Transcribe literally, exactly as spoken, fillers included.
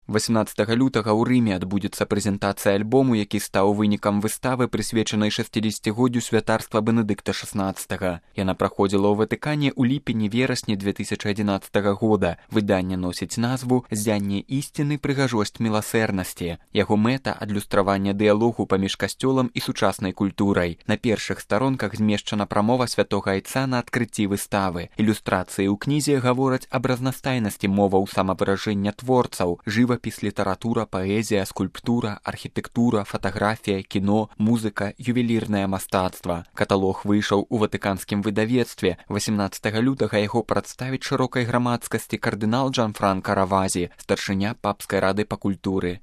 восемнадцатага лютага ў Рыме адбудзецца прэзентацыя альбому, які стаў вынікам выставы, прысвечанай шэсцідзесяцігоддзю святарства Бенедыкта шаснаццатага. Яна праходзіла ў Ватыкане ў ліпені-верасні две тысячы адзінаццатага года. Выданне носіць назву «Ззянне ісціны, прыгажосць міласэрнасці». Яго мэта – адлюстраванне дыялогу паміж касцёлам і сучаснай культурай. На першых старонках змешчана прамова святога айца на адкрыцці выставы. Ілюстрацыі ў кнізе гавораць аб разнастайнасці моваў самавыражэння творцаў, жывапіс, літаратура, паэзія, скульптура, архітэктура, фатаграфія, кіно, музыка, ювелірнае мастацтва. Каталог выйшаў у ватыканскім выдавецтве. восемнадцатага лютага яго прадставіць шырокай грамадскасці кардынал Джанфранка Равазі, старшыня папскай рады па культуры.